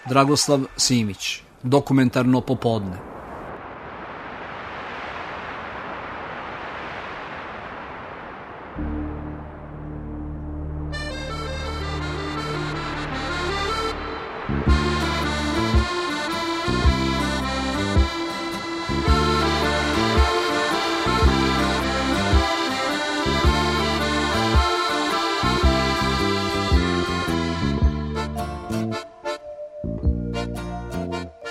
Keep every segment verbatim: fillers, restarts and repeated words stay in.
Dragoslav Simić, Dokumentarno popodne.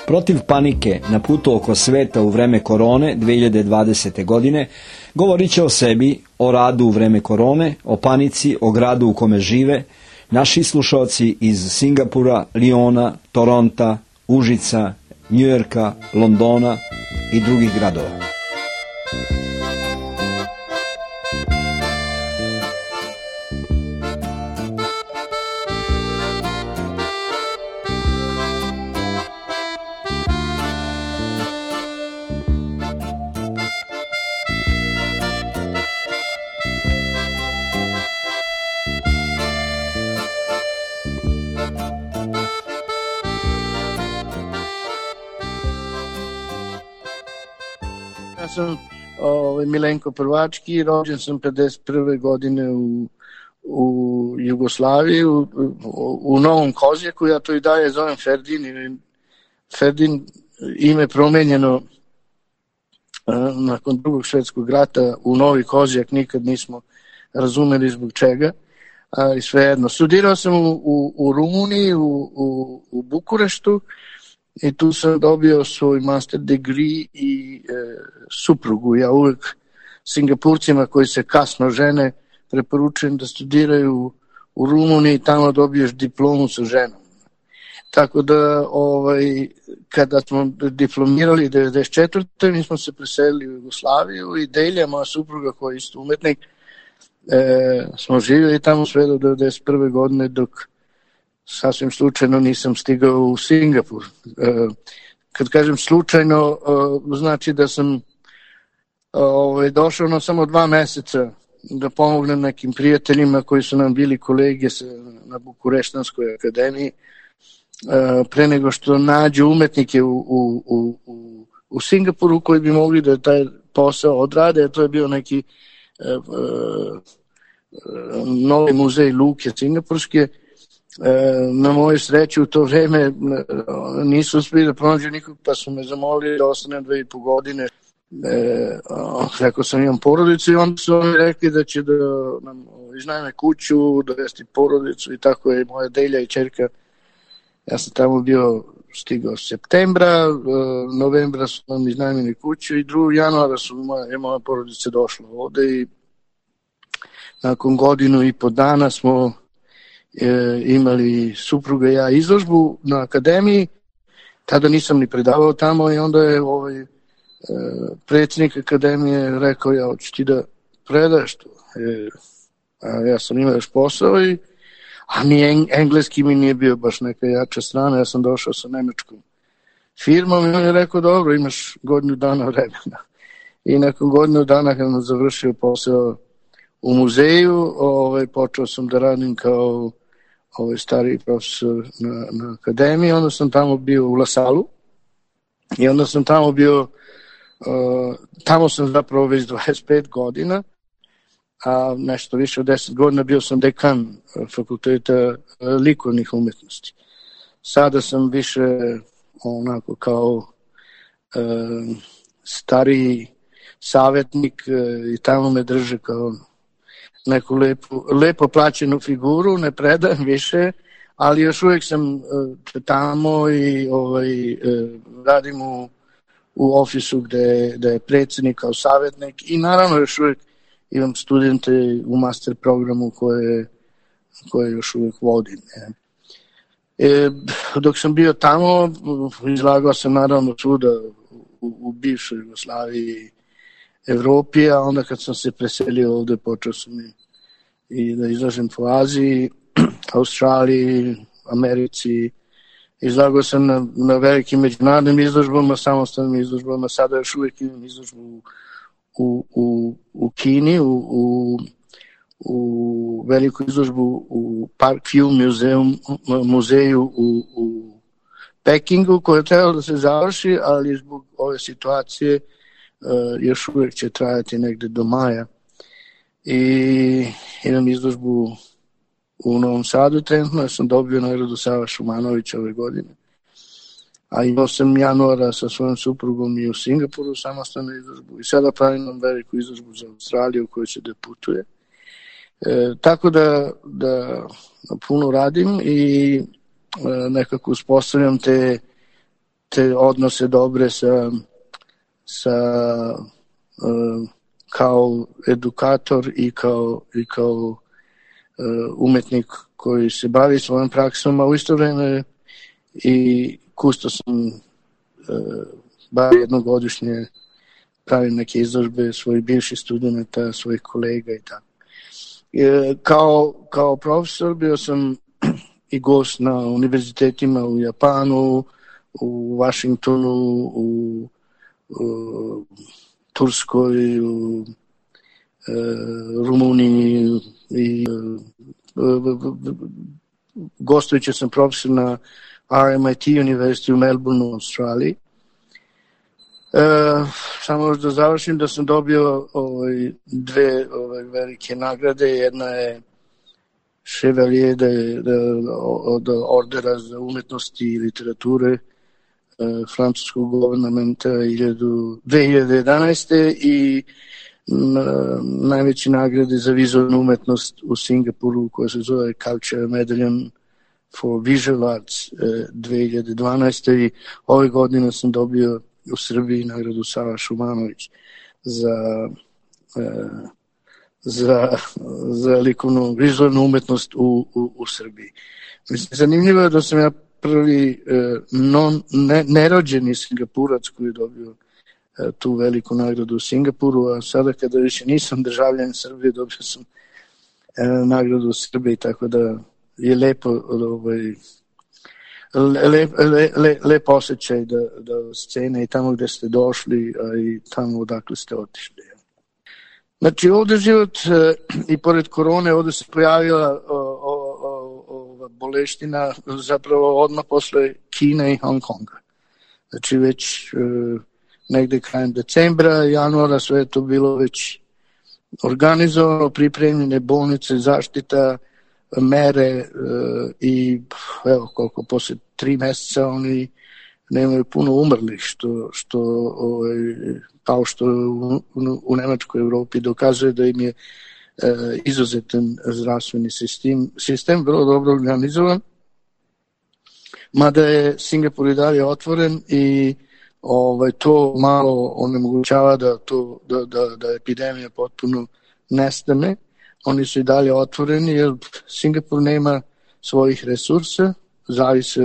Protiv panike na putu oko sveta u vreme korone dve hiljade dvadesete. godine govorit će o sebi, o radu u vreme korone, o panici, o gradu u kome žive, naši slušalci iz Singapura, Liona, Toronta, Užica, Njujorka, Londona i drugih gradova. Ja sam ovaj, Milenko Prvački, rođen sam pedeset prve. godine u, u Jugoslaviji, u, u, u Novom Kozjaku, ja to i dalje zovem Ferdin. Ferdin ime promenjeno uh, nakon drugog svjetskog rata u Novi Kozjak, nikad nismo razumeli zbog čega, ali svejedno. Studirao sam u, u, u Rumuniji, u, u, u Bukureštu, i tu sam dobio svoj master degree i e, suprugu. Ja uvek Singapurcima koji se kasno žene preporučujem da studiraju u Rumuniji, tamo dobiješ diplomu sa ženom. Tako da ovaj, kada smo diplomirali devedeset četvrte. mi smo se preselili u Jugoslaviju i Delja, moja supruga koja je isto umetnik, e, smo živjeli tamo sve do devedeset prve. godine dok sasvim slučajno nisam stigao u Singapur. E, kad kažem slučajno, e, znači da sam e, došao na samo dva meseca da pomognem nekim prijateljima koji su nam bili kolege sa, na Bukureštanskoj akademiji, e, pre nego što nađu umetnike u, u, u, u, u Singapuru koji bi mogli da taj posao odrade. To je bio neki e, e, novi muzej luke singapurske. Na moju sreću u to vreme nisu uspeli da pronađu nikog, pa su me zamolili da ostanem dve i po godine. E, rekao sam imam porodicu i onda su oni rekli da će da nam iznajme kuću, dovesti porodicu i tako je moja Delja i čerka. Ja sam tamo bio stigao septembra, novembra su nam iznajmili kuću i drugog januara su moja, moja porodica došla ovde i nakon godinu i po dana smo E, imali supruga i ja izložbu na akademiji. Tada nisam ni predavao tamo i onda je ovaj e, predsjednik akademije rekao, ja hoću ti da predaš to. E, a ja sam imao još posao i a mi eng, engleski mi nije bio baš neka jača strana, ja sam došao sa nemačkom firmom i on je rekao, dobro, imaš godinu dana vremena. I nakon godinu dana kad sam završio posao u muzeju, ovaj, počeo sam da radim kao ovaj stari profesor na, na akademiji, onda sam tamo bio u Lasalu i onda sam tamo bio, uh, tamo sam zapravo već dvadeset pet godina, a nešto više od deset godina bio sam dekan fakulteta uh, likovnih umetnosti. Sada sam više onako kao uh, stariji savjetnik uh, i tamo me drže kao neku lepo, lepo plaćenu figuru, ne predajem više, ali još uvijek sam uh, tamo i ovaj, uh, radim u, u ofisu gde, gde je predsjednik kao savjetnik i naravno još uvijek imam studente u master programu koje, koje još uvijek vodim. Ne. E, dok sam bio tamo, izlagao sam naravno svuda u, u bivšoj Jugoslaviji, Evropi, a onda kad sam se preselio ovde, počeo sam i, i da izlažem po Aziji, Australiji, Americi. Izlagao sam na, na velikim međunarodnim izložbama, samostalnim izložbama, sada još uvijek imam izložbu u, u, u, u Kini, u, u, u veliku izložbu u Parkview muzeum, muzeju u, u Pekingu koje je trebalo da se završi, ali zbog ove situacije uh, još uvijek će trajati negde do maja. I imam izložbu u Novom Sadu trenutno, ja sam dobio nagradu Sava Šumanovića ove godine. A imao sam januara sa svojom suprugom i u Singapuru samostalnu izložbu i sada pravim veliku izložbu za Australiju u kojoj se deputuje. E, tako da, da puno radim i e, nekako uspostavljam te, te odnose dobre sa, sa e, kao edukator i kao, i kao e, umetnik koji se bavi svojom praksom, a u isto vreme i kusto sam e, bar jednogodišnje pravim neke izložbe svojih bivših studenta, svojih kolega i tako. E, kao, kao profesor bio sam i gost na univerzitetima u Japanu, u Vašingtonu, u, u Turskoj, u e, Rumuniji i e, gostujući sam profesor na R M I T University u Melbourneu u Australiji. E, samo da završim da sam dobio ovaj, dve ovaj, velike nagrade. Jedna je Chevalier de, de, od ordera za umetnosti i literature e, francuskog guvernamenta dve hiljade jedanaeste i na, najveće nagrade za vizualnu umetnost u Singapuru koja se zove Culture Medallion for Visual Arts eh, dve hiljade dvanaeste i ove godine sam dobio u Srbiji nagradu Sava Šumanović za, eh, za, za likovnu vizualnu umetnost u, u, u Srbiji. Mislim, zanimljivo je da sam ja prvi eh, non, ne, nerođeni Singapurac koji je dobio eh, tu veliku nagradu u Singapuru, a sada kada više nisam državljan Srbije dobio sam eh, nagradu u Srbiji, tako da je lepo ovaj, lep, lep, lep, lep osjećaj da, da scene i tamo gde ste došli, a i tamo odakle ste otišli. Znači ovde život i pored korone ovde se pojavila ova boleština zapravo odmah posle Kine i Hong Konga. Znači već e, negde krajem decembra, januara sve je to bilo već organizovano, pripremljene bolnice, zaštita, mere e, i evo koliko posle tri meseca oni nemaju puno umrlih što, što ovaj, kao što u, u, u Nemačkoj Evropi dokazuje da im je e, izuzetan zdravstveni sistem, sistem vrlo dobro organizovan, mada je Singapur i dalje otvoren i ovaj, to malo onemogućava da, to, da, da, da epidemija potpuno nestane. Oni su i dalje otvoreni jer Singapur nema svojih resursa, zavise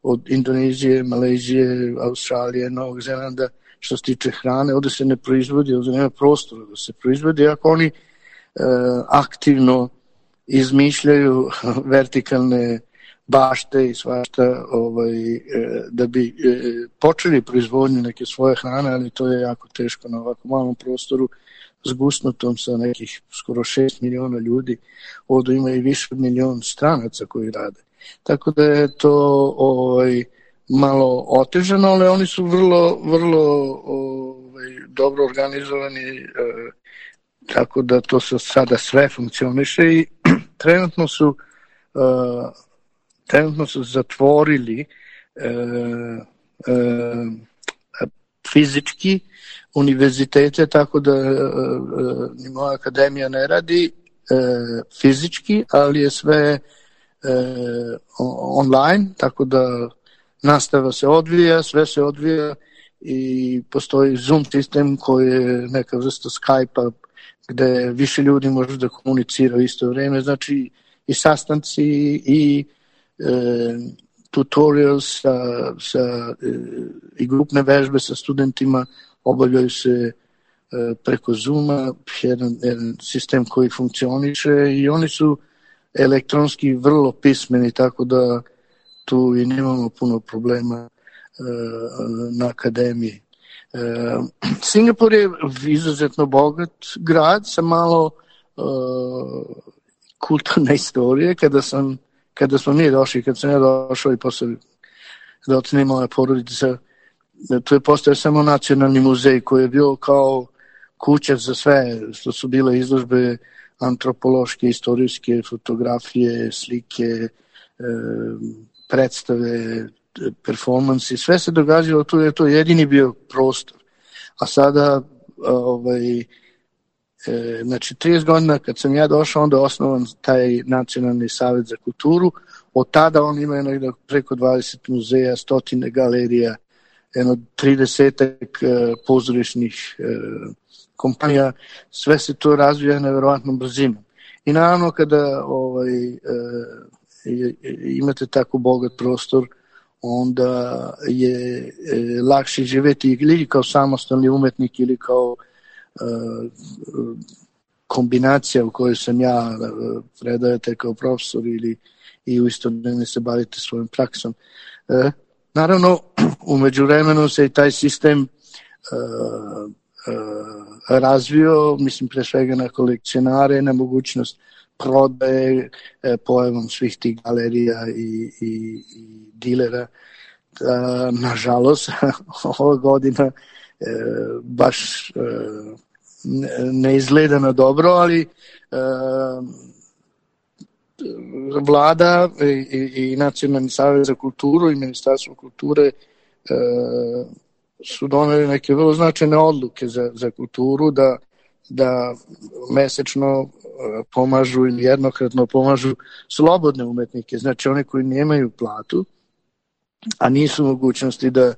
od Indonezije, Malezije, Australije, Novog Zelanda što se tiče hrane. Ovde se ne proizvodi, ovde nema prostora da se proizvodi, ako oni e, aktivno izmišljaju vertikalne bašte i svašta ovaj, e, da bi e, počeli proizvodnju neke svoje hrane, ali to je jako teško na ovako malom prostoru zgusnutom sa nekih skoro šest miliona ljudi. Ovdje ima i više od milion stranaca koji rade. Tako da je to ovaj, malo otežano, ali oni su vrlo, vrlo ovaj, dobro organizovani, eh, tako da to se sada sve funkcioniše i trenutno su, eh, trenutno su zatvorili eh, eh, fizički univerzitete, tako da e, ni moja akademija ne radi e, fizički, ali je sve e, online, tako da nastava se odvija, sve se odvija i postoji Zoom sistem koji je neka vrsta Skype-a gde više ljudi može da komunicira u isto vreme, znači i sastanci i e, tutorials sa, sa, e, i grupne vežbe sa studentima obavljaju se e, preko Zooma, jedan, jedan sistem koji funkcioniše i oni su elektronski vrlo pismeni, tako da tu i nemamo puno problema e, na akademiji. E, Singapur je izuzetno bogat grad sa malo e, kulturne istorije. Kada sam kada smo mi došli, kad sam ja došao i posle kada odsne moja porodica, to je postao samo nacionalni muzej koji je bio kao kuća za sve, što su bile izložbe antropološke, istorijske, fotografije, slike, predstave, performansi, sve se događalo tu, je to jedini bio prostor. A sada, ovaj, e, znači trideset godina kad sam ja došao, onda je osnovan taj Nacionalni savet za kulturu. Od tada on ima negdje preko dvadeset muzeja, stotine galerija, jedno tridesetak e, pozorišnih e, kompanija, sve se to razvija nevjerovatnom brzinom. I naravno kada ovaj, e, imate tako bogat prostor, onda je e, lakše živjeti ili kao samostalni umetnik ili kao e, kombinacija u kojoj sam ja, predajete kao profesor ili i u isto vrijeme se bavite svojom praksom. E, naravno, u međuvremenu se i taj sistem e, e, razvio, mislim pre svega na kolekcionare, na mogućnost prodaje, e, pojavom svih tih galerija i, i, i dilera. Da, nažalost, ova godina e, baš e, ne izgleda na dobro, ali e, vlada i, i, i Nacionalni savet za kulturu i Ministarstvo kulture e, su doneli neke vrlo značajne odluke za, za kulturu, da, da mesečno pomažu ili jednokratno pomažu slobodne umetnike, znači one koji nemaju platu, a nisu mogućnosti da,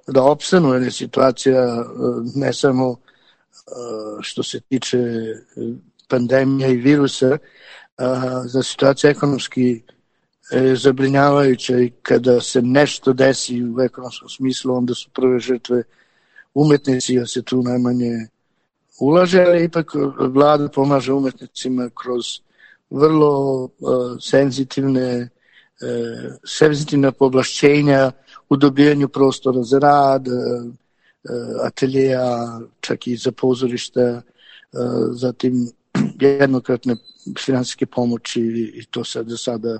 da opstanu, jer je situacija ne samo što se tiče pandemije i virusa, za situacija ekonomski zabrinjavajuća i kada se nešto desi u ekonomskom smislu, onda su prve žrtve umetnici, jer se tu najmanje ulaže, ali ipak vlada pomaže umetnicima kroz vrlo uh, senzitivne uh, senzitivna povlašćenja u dobijanju prostora za rad, uh, ateljeja, čak i za pozorišta, uh, zatim jednokratne finansijske pomoći i to sad za sada,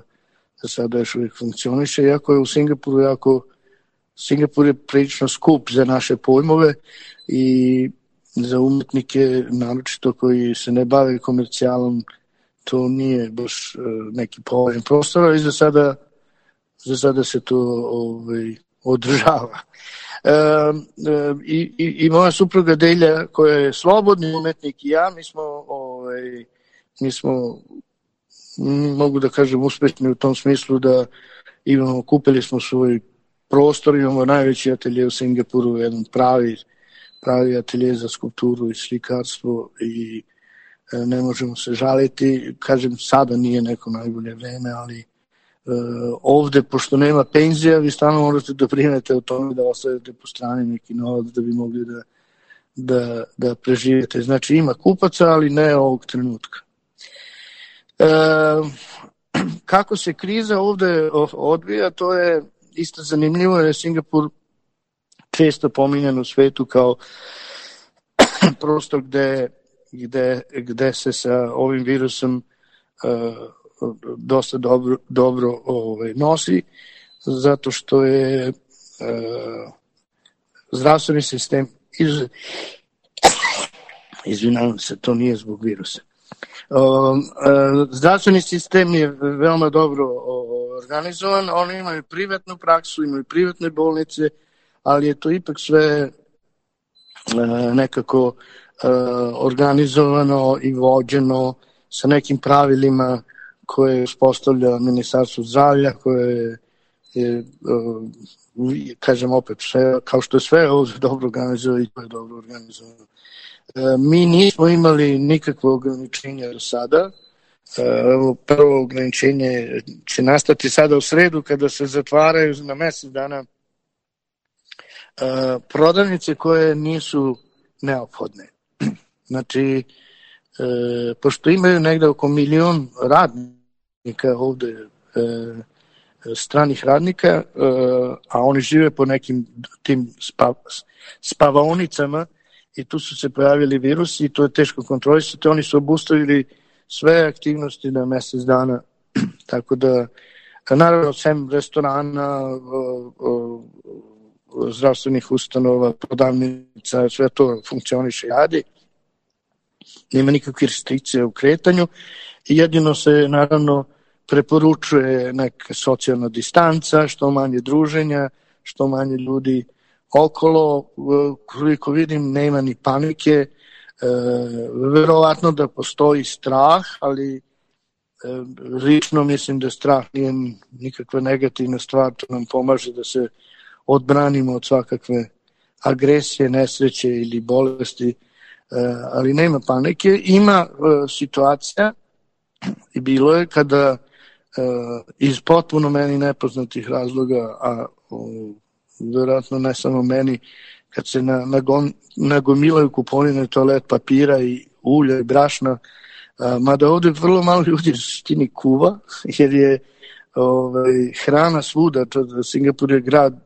za sada još uvijek funkcioniše, iako je u Singapuru jako, Singapur je prilično skup za naše pojmove i za umetnike, naročito koji se ne bave komercijalom, to nije baš neki povoljan prostor, i za sada, za sada se to ovaj, održava. E, e, i, i moja supruga Delja, koja je slobodni umetnik, i ja, mi smo, ovaj, mi smo mogu da kažem uspešni u tom smislu da imamo, kupili smo svoj prostor, imamo najveći atelje u Singapuru, jedan pravi pravi atelje za skulpturu i slikarstvo i e, ne možemo se žaliti. Kažem, sada nije neko najbolje vreme, ali e, ovde, pošto nema penzija, vi stalno morate da brinete o tome da ostavite po strani neki novac da bi mogli da, da, da preživete. Znači, ima kupaca, ali ne ovog trenutka. E, kako se kriza ovde odvija, to je isto zanimljivo, jer je Singapur često pominjan u svetu kao prostor gde, gde, gde se sa ovim virusom uh, dosta dobro, dobro ovaj, nosi, zato što je uh, zdravstveni sistem iz... izvinjavam se, to nije zbog virusa. Uh, uh, zdravstveni sistem je veoma dobro uh, organizovan, oni imaju privatnu praksu, imaju privatne bolnice, ali je to ipak sve uh, nekako uh, organizovano i vođeno sa nekim pravilima koje uspostavlja Ministarstvo zdravlja, koje je, uh, kažem opet, sve, kao što je sve ovdje dobro organizovano i to je dobro organizovano. Uh, mi nismo imali nikakvo ograničenje do sada. Uh, prvo ograničenje će nastati sada u sredu kada se zatvaraju na mjesec dana Uh, prodavnice koje nisu neophodne. Znači, uh, pošto imaju negde oko milion radnika ovde, uh, stranih radnika, uh, a oni žive po nekim tim spav, spavaonicama i tu su se pojavili virusi i to je teško kontrolisati. Oni su obustavili sve aktivnosti na mjesec dana, tako da naravno sem restorana, zdravstvenih ustanova, prodavnica, sve to funkcioniše i radi. Nema nikakve restrikcije u kretanju i jedino se naravno preporučuje neka socijalna distanca, što manje druženja, što manje ljudi okolo. Koliko vidim, nema ni panike. E, verovatno da postoji strah, ali e, lično mislim da strah nije nikakva negativna stvar, to nam pomaže da se odbranimo od svakakve agresije, nesreće ili bolesti, e, ali nema panike. Ima e, situacija i bilo je kada e, iz potpuno meni nepoznatih razloga, a o, vjerojatno ne samo meni, kad se na, nagon, nagomilaju kupovine toalet papira i ulja i brašna, a, mada ovde vrlo malo ljudi suštini kuva, jer je ovaj, hrana svuda, to, Singapur je grad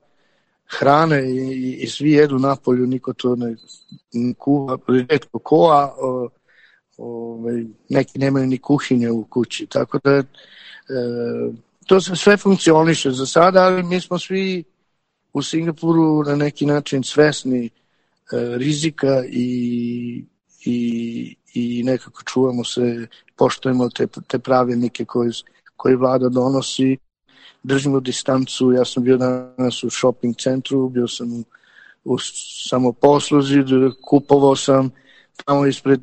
hrane i, i, i svi jedu napolju, niko to ne, ne kuva, retko ko, a o, ovaj, neki nemaju ni kuhinje u kući, tako da e, to se sve funkcioniše za sada, ali mi smo svi u Singapuru na neki način svesni e, rizika i, i, i nekako čuvamo se, poštujemo te, te pravilnike koje, koje vlada donosi, držimo distancu. Ja sam bio danas u shopping centru, bio sam u, u samoposluzi, kupovao sam tamo ispred,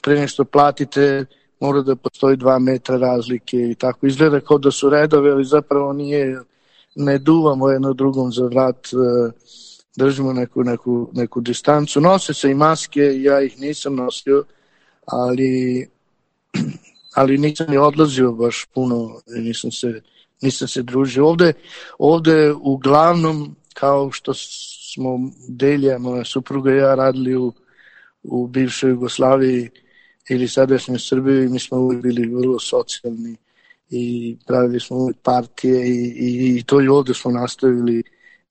pre nešto platite, mora da postoji dva metra razlike i tako. Izgleda kao da su redove, ali zapravo nije, ne duvamo jedno drugom za vrat, držimo neku, neku, neku distancu. Nose se i maske, ja ih nisam nosio, ali, ali nisam ni odlazio baš puno, nisam se, nisam se družio. Ovde, ovde uglavnom, kao što smo Delija, moja supruga i ja, radili u, u bivšoj Jugoslaviji ili sadašnjoj Srbiji, mi smo uvijek bili vrlo socijalni i pravili smo uvijek partije i, i, i to i ovde smo nastavili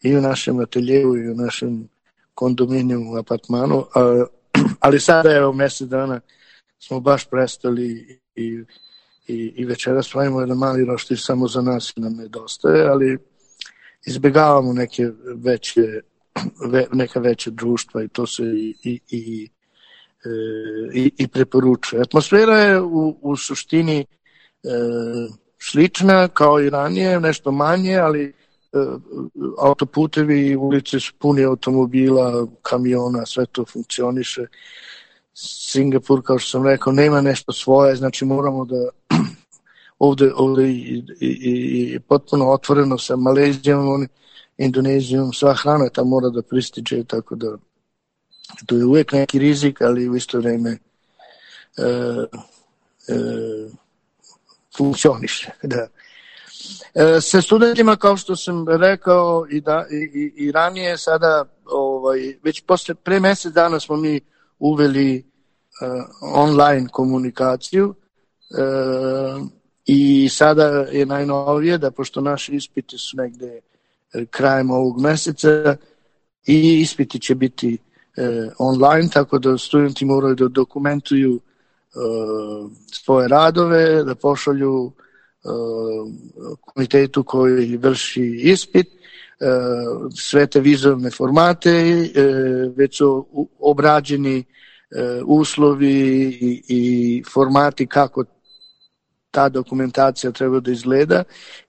i u našem ateljevu i u našem kondominijumu, apartmanu, a, ali sada evo mesec dana smo baš prestali i, i, i večeras pravimo jedan mali roštilj samo za nas i nam nedostaje, ali izbjegavamo neke veće, ve, neka veća društva i to se i, i, i, i, i preporučuje. Atmosfera je u, u suštini e, slična kao i ranije, nešto manje, ali autoputevi i ulice su puni automobila, kamiona, sve to funkcioniše. Singapur, kao što sam rekao, nema nešto svoje, znači moramo da ovde, ovde i, i, i potpuno otvoreno sa Malezijom, Indonezijom, sva hrana tam mora da prističe, tako da to je uvijek neki rizik, ali u isto vreme e, e, funkcioniše, da. E, sa studentima, kao što sam rekao i, da, i, i ranije, sada ovaj, već posle, pre mesec dana smo mi uveli e, online komunikaciju e, i sada je najnovije da, pošto naši ispiti su negde krajem ovog meseca, i ispiti će biti e, online, tako da studenti moraju da dokumentuju e, svoje radove, da pošalju komitetu koji vrši ispit, sve te vizualne formate, već su obrađeni uslovi i, i formati kako ta dokumentacija treba da izgleda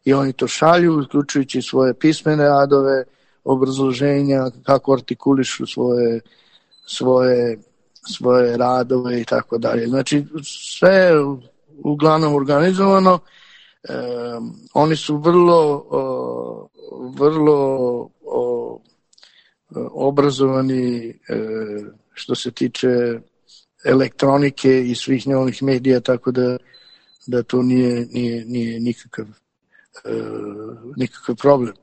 i oni to šalju, uključujući svoje pismene radove, obrazloženja, kako artikulišu svoje, svoje, svoje radove i tako dalje. Znači, sve je uglavnom organizovano. Um, oni su vrlo uh, vrlo uh, obrazovani uh, što se tiče elektronike i svih njegovih medija, tako da, da to nije, nije, nije nikakav, uh, nikakav problem.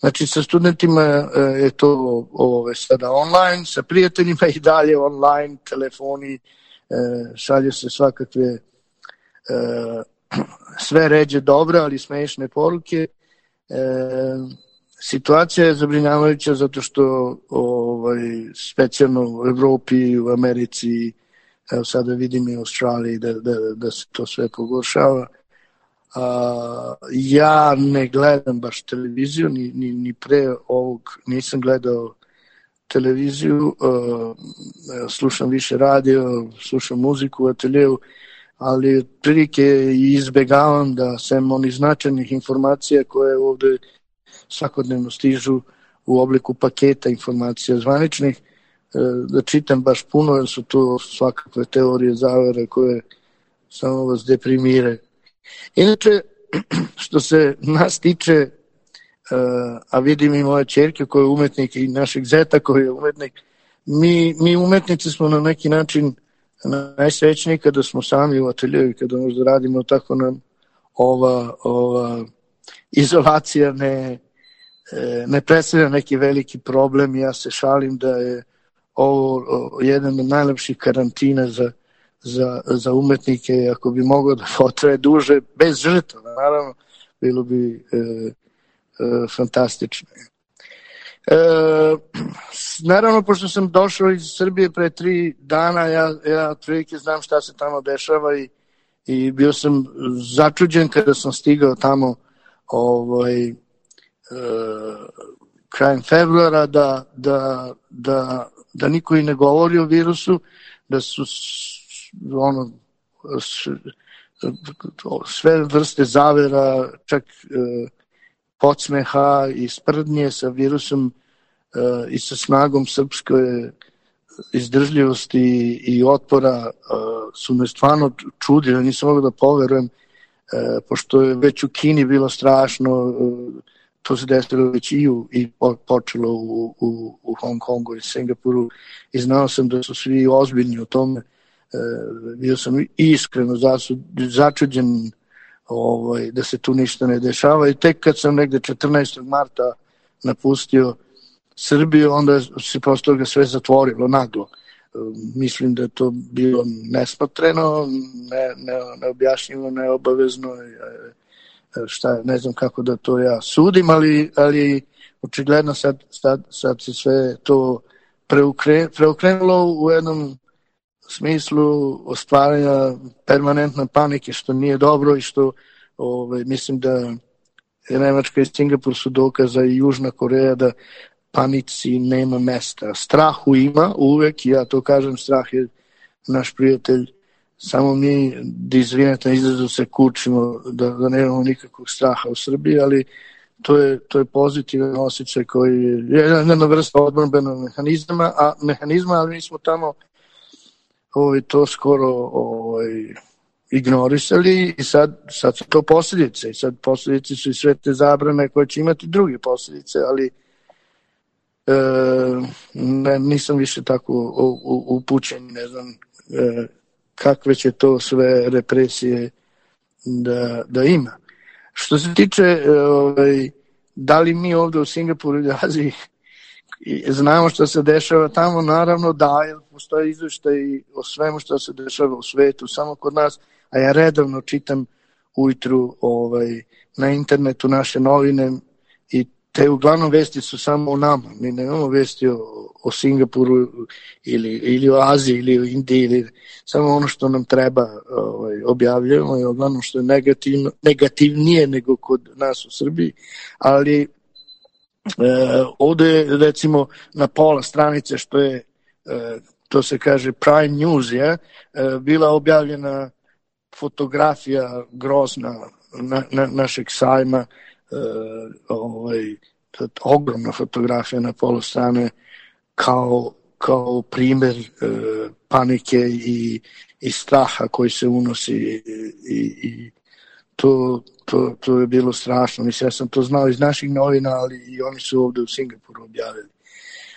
Znači sa studentima uh, je to ove, sada online, sa prijateljima i dalje online, telefoni, uh, šalje se svakakve uh, sve ređe dobre, ali smešne poruke. E, situacija je zabrinjavajuća zato što ovaj, specijalno u Evropi, u Americi, evo sada vidim i u Australiji da, da, da se to sve pogoršava, A, ja ne gledam baš televiziju, ni, ni, ni pre ovog nisam gledao televiziju, a, slušam više radio, slušam muziku u ateljeu, ali otprilike izbegavam da sem onih značajnih informacija koje ovde svakodnevno stižu u obliku paketa informacija zvaničnih, da čitam baš puno, jer su to svakakve teorije zavere koje samo vas deprimiraju. Inače, što se nas tiče, a vidim i moje ćerke koja je umetnik i našeg zeta koji je umetnik, mi, mi umetnici smo na neki način najsrećniji kada smo sami u ateljevu, kada možda radimo, tako nam ova, ova izolacija ne, ne predstavlja neki veliki problem. Ja se šalim da je ovo jedan od najlepših karantina za, za, za umetnike, ako bi moglo da potraje duže, bez žrtva, naravno, bilo bi e, e, fantastično. E, naravno, pošto sam došao iz Srbije pre tri dana, ja, ja otprilike znam šta se tamo dešava i, i bio sam začuđen kada sam stigao tamo ovaj, e, krajem februara da, da, da, da niko i ne govori o virusu, da su ono, sve vrste zavera, čak e, podsmeha i sprdnje sa virusom e, i sa snagom srpske izdržljivosti i otpora e, su me stvarno čudili, nisam mogao da poverujem, e, pošto je već u Kini bilo strašno, e, to se desilo već i, u, i počelo u, u, u Hong Kongu i Singapuru i znao sam da su svi ozbiljni o tome. E, bio sam iskreno začuđen ovaj, da se tu ništa ne dešava i tek kad sam negde četrnaestog marta napustio Srbiju, onda se posle toga sve zatvorilo naglo. E, mislim da je to bilo nesmotreno, ne, ne, neobjašnjivo, neobavezno, e, šta, ne znam kako da to ja sudim, ali, ali očigledno sad, sad, sad se sve to preukre, preokrenulo u jednom smislu ostvaranja permanentne panike, što nije dobro i što ovaj, mislim da Nemačka i Singapur su dokaza i Južna Koreja da panici nema mesta. Strahu ima uvek, ja to kažem, strah je naš prijatelj. Samo mi, da izvinete, izrazu se kučimo, da, da nemamo nikakvog straha u Srbiji, ali to je, to je pozitivan osjećaj koji je jedna vrsta odbrambenog mehanizma, a, mehanizma, ali mi smo tamo ovaj, to skoro ovaj, ignorisali i sad, sad su to posljedice. I sad posljedice su i sve te zabrane koje će imati druge posljedice, ali e, ne, nisam više tako upućen, ne znam e, kakve će to sve represije da, da ima. Što se tiče ovaj, da li mi ovde u Singapuru ili Aziji znamo što se dešava tamo, naravno da, jer postoje izveštaj o svemu što se dešava u svetu, samo kod nas, a ja redovno čitam ujutru ovaj, na internetu naše novine i te uglavnom vesti su samo o nama. Mi nemamo vesti o, o Singapuru ili, ili o Aziji ili o Indiji, ili samo ono što nam treba ovaj, objavljujemo i uglavnom što je negativno, negativnije nego kod nas u Srbiji, ali e, ovde recimo na pola stranice što je, e, to se kaže Prime News, je, e, bila objavljena fotografija grozna na, na, našeg sajma, Uh, ovaj, ogromna fotografija na polu strane kao, kao primjer uh, panike i, i straha koji se unosi i, i to, to, to je bilo strašno. Mislim, ja sam to znao iz naših novina, ali i oni su ovde u Singapuru objavili.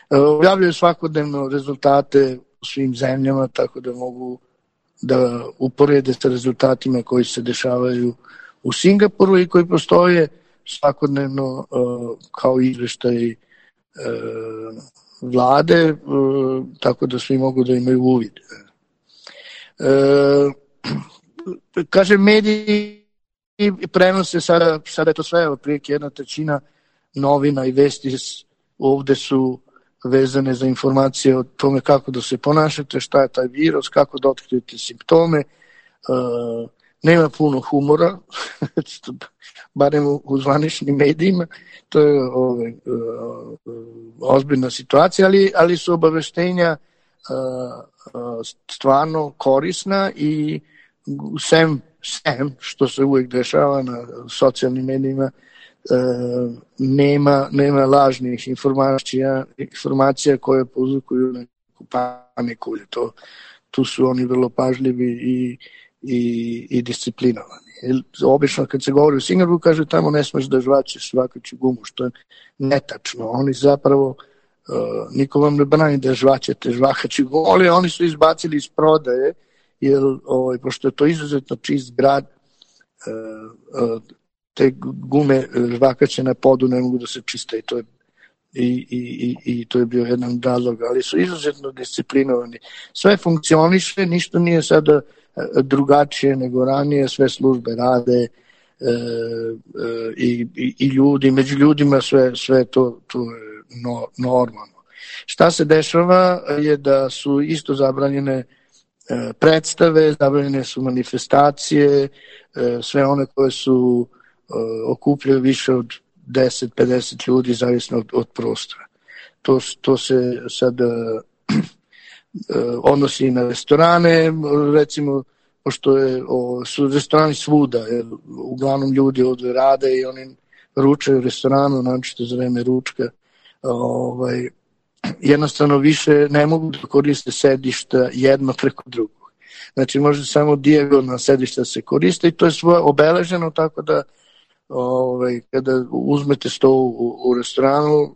Uh, objavljaju svakodnevno rezultate u svim zemljama, tako da mogu da uporede sa rezultatima koji se dešavaju u Singapuru i koji postoje svakodnevno uh, kao izveštaj uh, vlade, uh, tako da svi mogu da imaju uvid. Uh, kažem, mediji prenose sada, sada je to sve, otprilike jedna trećina novina i vesti ovde su vezane za informacije o tome kako da se ponašate, šta je taj virus, kako da otkrijete simptome. Uh, nema puno humora, barem u, u zvaničnim medijima, to je ovaj, ozbiljna situacija, ali, ali su obaveštenja stvarno korisna i sem, sem što se uvijek dešava na socijalnim medijima, nema, nema lažnih informacija, informacija koje pozvukuju neku paniku. To, tu su oni vrlo pažljivi i, i, i disciplinovani. Obično kad se govori u Singapuru, kaže tamo ne smeš da žvačeš žvakaću gumu, što je netačno. Oni zapravo, uh, niko vam ne brani da žvačete žvakaću gumu, ali oni su izbacili iz prodaje, jer ovaj, pošto je to izuzetno čist grad, uh, uh, te gume žvakaće na podu ne mogu da se čiste i to je I, i, i to je bio jedan razlog, ali su izuzetno disciplinovani. Sve funkcioniše, ništa nije sada drugačije nego ranije, sve službe rade e, e, i, i, i ljudi, među ljudima sve, sve to, to je no, normalno. Šta se dešava je da su isto zabranjene e, predstave, zabranjene su manifestacije, e, sve one koje su e, okupljaju više od deset do pedeset ljudi, zavisno od, od prostora. To, to se sad uh, odnosi na restorane, recimo, pošto je, o, su restorani svuda, jer uglavnom ljudi ovdje rade i oni ručaju u restoranu, naročito za vreme ručka. Ovaj, jednostavno više ne mogu da koriste sedišta jedno preko drugog. Znači može samo dijagonalna sedišta se koriste i to je svoje obeleženo, tako da Ovaj, kada uzmete sto u, u restoranu,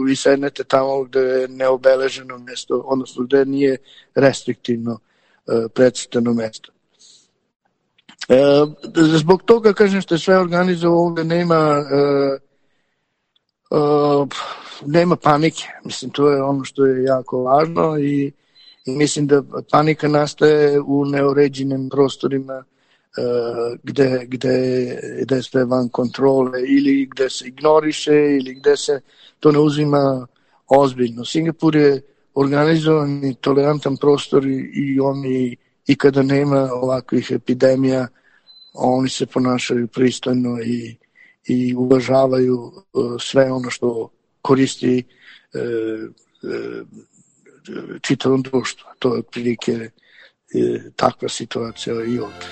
vi sednete tamo gde je neobeleženo mesto, odnosno gde nije restriktivno e, predsjetano mesto. E, zbog toga, kažem, što je sve organizovano, ovdje nema e, e, nema panike. Mislim, to je ono što je jako važno i, i mislim da panika nastaje u neuređenim prostorima, Uh, gde, gde, gde je sve van kontrole ili gde se ignoriše ili gde se to ne uzima ozbiljno. Singapur je organizovan i tolerantan prostor i, i oni i kada nema ovakvih epidemija oni se ponašaju pristojno i, i uvažavaju uh, sve ono što koristi uh, uh, čitavom društvu. To je otprilike uh, takva situacija i ovdje.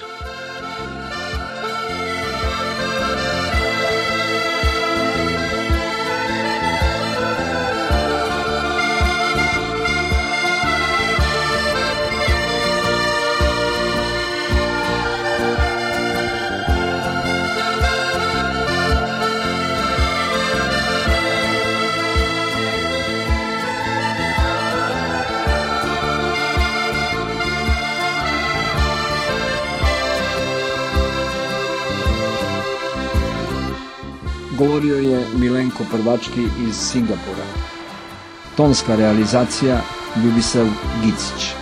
Govorio je Milenko Prvački iz Singapura. Tonska realizacija Ljubisav Gicić.